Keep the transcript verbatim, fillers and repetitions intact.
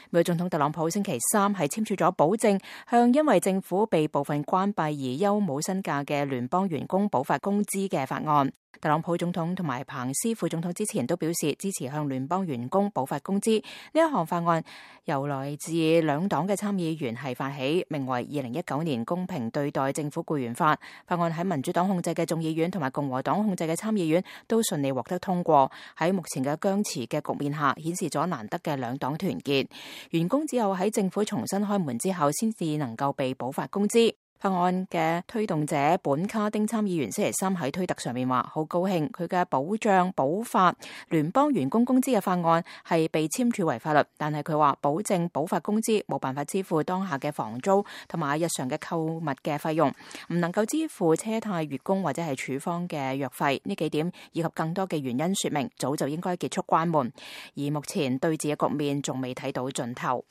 美國總統特朗普星期三係簽署咗保證向因為政府被部分關閉而休冇薪假嘅聯邦員工補發工資嘅法案。特朗普總統同埋彭斯副總統之前都表示支持向聯邦員工補發工資。呢一項法案由來自兩黨嘅參議員係發起，名為二零一九年公平對待政府僱員法。法案喺民主黨控制嘅眾議院同埋共和黨控制嘅參議院都順利獲得通過。喺目前嘅僵持嘅局面下，顯示咗難得嘅兩黨團結。員工只有喺政府重新開門之後，先至能夠被補發工資。法案嘅推動者本卡丁參議員星期三喺推特上面話，好高興佢嘅保障補發聯邦員工工資嘅法案係被簽署為法律，但係佢話保證補發工資冇辦法支付當下嘅房租同埋日常嘅購物嘅費用，唔能夠支付車貸、月供或者係處方嘅藥費，呢幾點以及更多嘅原因說明早就應該結束關門，而目前對峙嘅局面仲未睇到盡頭。